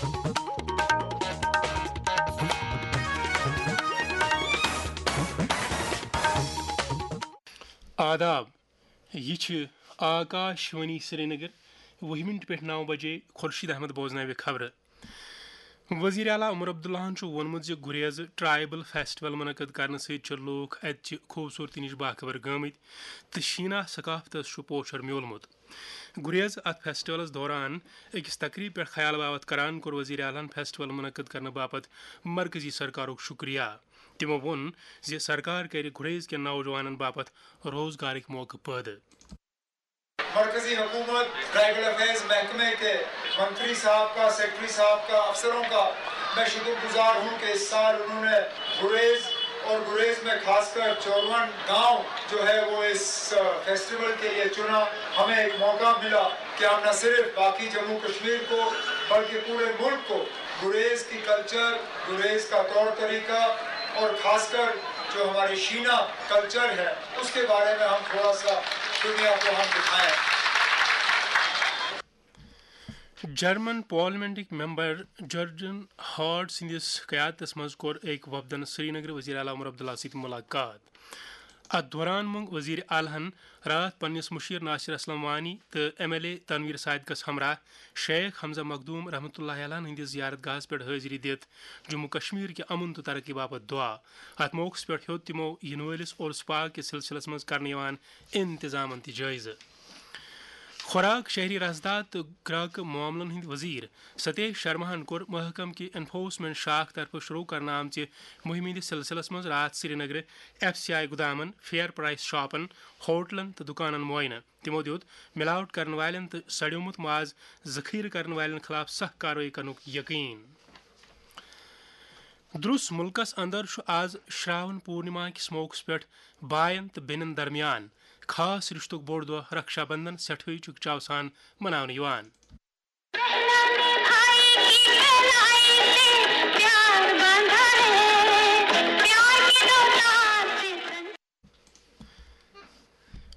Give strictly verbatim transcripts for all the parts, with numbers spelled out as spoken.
آداب، یہِ چھِ آکاش وانی سرینگر، وُہہِ مِنٹہِ پٮ۪ٹھ نَو بجے۔ خورشید احمد بوزناوِ خبرٕ۔ وزیر اعلیٰ عمر عبداللہَن چھُ ووٚنمُت زِ گُریز ٹرائبل فیسٹیول منعقد کرنہٕ سۭتۍ چھِ لوٗکھ اَتہِ چہِ خوٗبصوٗرتی نِش باخبر گٲمٕتۍ تہٕ شیٖنہ ثقافتَس چھُ پوچھر میوٗلمُت۔ گُریز اَتھ فیسٹیولَس دوران أکِس تقریٖب پٮ۪ٹھ خیال باوت کران کوٚر وزیر اعلیٰ ہَن فیسٹیول منعقد کرنہٕ باپتھ مرکزی سرکارُک شُکریہ۔ تِمو ووٚن زِ سرکار کرِ گُریز کٮ۪ن نوجوانَن باپتھ روزگارٕکۍ موقعہٕ پٲدٕ۔ مرکزی حکومت، ٹرائبل افیئرز محکمے کے منتری صاحب کا، سیکرٹری صاحب کا، افسروں کا میں شکر گزار ہوں کہ اس سال انہوں نے گریز اور گریز میں خاص کر چورون گاؤں جو ہے وہ اس، آ، فیسٹیول کے لیے چنا۔ ہمیں ایک موقع ملا کہ ہم نہ صرف باقی جموں کشمیر کو بلکہ پورے ملک کو گریز کی کلچر، گریز کا طور طریقہ اور خاص کر جو ہماری شینا کلچر ہے اس کے بارے میں ہم تھوڑا سا دنیا کو ہم دکھائیں۔ جرمن پارلیمنٹٕکۍ ممبر جرجن ہارڈ سٕنٛدِس قیادتس منٛز کوٚر أکۍ وفدن سرینگر وزیر اعلیٰ عمر عبداللہ سۭتۍ ملاقات۔ اتھ دوران مۄنگ وزیر اعلیٰ ہن راتھ پننِس مشیر ناصر اسلم وانی تہٕ ایم ایل اے تنویر صادقس ہمراہ شیخ حمزہ مخدوم رحمتہ اللہ علیہ ہٕنٛدِس زیارت گاہس پٮ۪ٹھ حٲضری دِتھ جموں کشمیر کہِ امن تہٕ ترقی باپتھ دعا۔ اتھ موقعس پٮ۪ٹھ ہیوٚت تِمو یِنہٕ وٲلِس عرس پاک کِس سلسلس منٛز کرنہٕ یِوان انتظامن تہِ جٲیزٕ۔ خوراک، شہری رسداد تہٕ گراکہٕ معاملن ہٕنٛدۍ وزیر ستیش شرماہن کوٚر محکمہٕ کہِ انفورسمنٹ شاخ طرفہٕ شروع کرنہٕ آمژِ مُہِمہِ ہٕنٛدِس سلسلس منٛز راتھ سرینگرٕ ایف سی آئی گُدامن، فیئر پرائس شاپن، ہوٹلن تہٕ دُکانن معائنہٕ۔ تِمو دیُت ملاوٹ کرن والٮ۪ن تہٕ سڑیومُت ماز ذخیرٕ کرن والٮ۪ن خلاف سخت کاروٲیی کرنُک یقین۔ درُس مُلکس اندر چھُ آز شراون پورنما کِس موقعس پٮ۪ٹھ باین تہٕ بیٚنٮ۪ن درمیان خاص رشتُک بوٚڑ دۄہ رکشا بندھن سٮ۪ٹھٕے چُکچاو سان مناونہٕ یِوان۔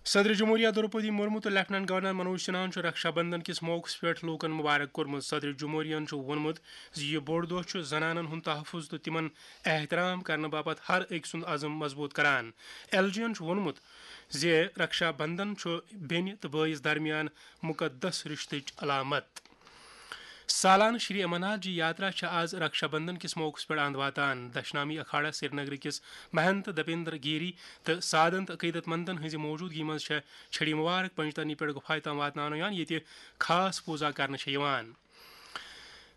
صدر جمہوریہ دروپدی مرمو تہٕ لیفٹیننٹ گورنر منوج سنہاہن چھُ رکشا بندھن کِس موقعس پٮ۪ٹھ لوٗکن مبارک کوٚرمُت۔ صدر جمہوریہن چھُ ووٚنمُت زِ یہِ بوٚڑ دۄہ چھُ زنانن ہُنٛد تحفظ تہٕ تِمن احترام کرنہٕ باپتھ ہر أکۍ سُنٛد عزم مضبوٗط کران۔ ایل جی یَن چھُ ووٚنمُت زِ رکشا بندھن چھُ بیٚنہِ تہٕ بٲیِس درمیان مُقدس رِشتٕچ علامت۔ سالانہٕ شری امرناتھ جی یاترا چھےٚ آز رکشا بندھن کِس موقعس پٮ۪ٹھ اند واتان۔ دشنامی اکھاڑا سرینگر کِس مہنت دپیندر گیری تہٕ سادنت عقیدت مندن ہٕنٛزِ موجودگی منٛز چھےٚ چھڑی مبارک پنجترنی پٮ۪ٹھ گُپھایہِ تام واتناونہٕ یِوان، ییٚتہِ خاص پوٗزا کرنہٕ چھےٚ یِوان۔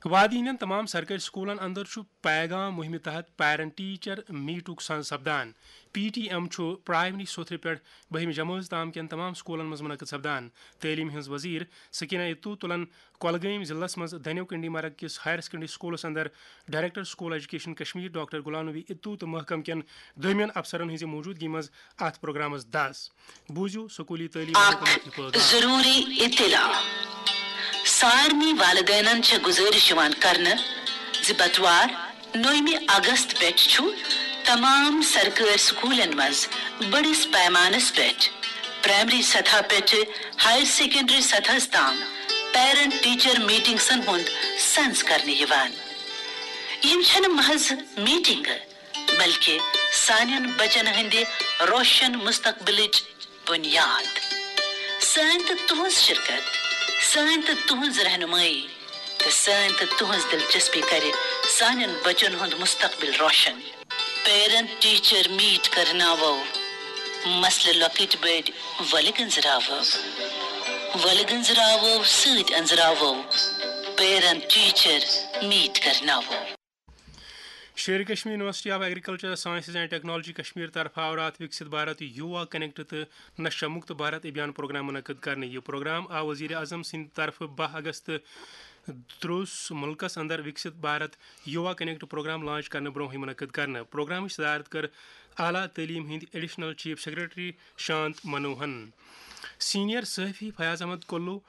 وادی ہٕنٛدٮ۪ن تمام سرکٲرۍ سکوٗلن اندر چھُ پیغام مُہِمہِ تحت پیرنٹ ٹیچر میٹُک سنز سپدان۔ پی ٹی ایم چھُ پرائمری سوتھرِ پٮ۪ٹھ بٔہمہِ جمٲژ تام کٮ۪ن تمام سکوٗلن منٛز منعقد سپدان۔ تعلیٖم ہٕنٛز وزیر سکینہ اتو تُلن کۄلگٲمۍ ضلعس منٛز دنیو کنڈی مرگ کِس ہائر سیکنڈری سکوٗلس اندر director school education Kashmir doctor Ghulam Nabi Atoo تہٕ محکمہٕ کٮ۪ن دوٚیمٮ۪ن افسرن ہٕنٛزِ موجودگی منٛز اتھ پروگرامس دس۔ بوٗزِو سکوٗلی تعلیٖم اکھ محکمُک یہِ پٲغام۔ ضروٗری اطلاع۔ سارنٕے والدینن چھےٚ گُزٲرِش یِوان کرنہٕ زِ بٹوار، نومہِ اگست پٮ۪ٹھ چھُ تمام سرکٲرۍ سکوٗلن منٛز بٔڑِس پیمانس پٮ۪ٹھ پرائمری سطح پٮ۪ٹھٕ ہائر سیکنڈری سطحس تام پیرنٹ ٹیچر میٹنگسن ہُنٛد سنز کرنہٕ یِوان۔ یِم چھنہٕ محض میٹنگہٕ، بلکہ سانٮ۪ن بچن ہٕنٛدِ روشن مستقبلٕچ بنیاد۔ سٲنۍ تہٕ تُہنٛز شرکت، سٲنۍ تہٕ تُہنٛز رہنمٲیی تہٕ سٲنۍ تہٕ تُہنٛز دلچسپی کرِ سانٮ۪ن بچن ہُنٛد مستقبل روشن۔ پیرنٹ ٹیچر میٹ کرناوو، مسلہٕ لۄکٕٹۍ بٔڑۍ ولہٕ گنٛزراوو، ولہٕ گنٛزراوو سۭتۍ أنٛزراوو۔ پیرنٹ ٹیچر میٹ کرناوو۔ Sher Kashmir university of agriculture sciences and technology Kashmir طرفہٕ آو راتھ وکسِت بھارت یووا کنیکٹ تہٕ نشہ مکت بھارت ابھیان پروگرام منعقد کرنہٕ۔ یہِ پروگرام آو وزیر اعظم سٕنٛدِ طرفہٕ باہ اگست دروس ملکس اندر وکسِت بھارت یووا کنیکٹ پروگرام لانچ کرنہٕ برونٛہٕے منعقد کرنہٕ۔ پروگرامٕچ صدارت کٔر اعلیٰ تعلیٖم ہٕنٛدۍ ایڈیشنل چیف سیکرٹری شانت منوہن۔ سینئر صحافی فیاض احمد کلو،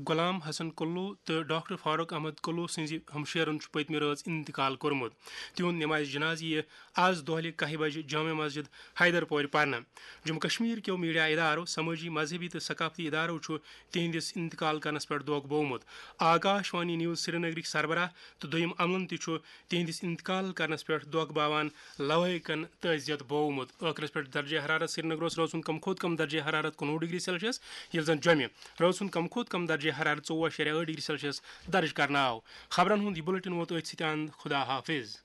غلام حسن کلو تہٕ ڈاکٹر فاروق احمد کلو سٕنٛزِ ہمشیرن چھُ پٔتمہِ رٲژ انتقال کوٚرمُت۔ تِہُنٛد نمازِ جنازٕ یِیہِ آز دۄہلہِ کاہہِ بجہِ جامع مسجد حیدر پورِ پرنہٕ۔ جموں کشمیر کیو میڈیا ادارو، سمٲجی، مذہبی تہٕ ثقافتی ادارو چھُ تِہنٛدِس انتقال کرنس پٮ۪ٹھ دۄکھ بوومُت۔ آکاش وانی نیوز سرینگرٕکۍ سربراہ تہٕ دوٚیِم عملن تہِ چھُ تِہنٛدِس انتقال کرنس پٮ۪ٹھ دۄکھ باوان لوٲیکن تعزیت بوومُت۔ ٲخرس پٮ۪ٹھ درجہ حرارت سرینگرس رٲژ ہُنٛد کم کھۄتہٕ کم درجہ حرارت کُنوُہ ڈگری سیلسیس، ییٚلہِ زن جوٚمہِ رٲژ ہُنٛد کم کھۄتہٕ کم درجہ حرارت ژوٚوُہ اَشاریہ ٲٹھ ڈگری سیلسیس درج کرنہٕ آو۔ خبرن ہُنٛد یہِ بُلٹن ووت أتھۍ سۭتۍ اند۔ خدا حافظ۔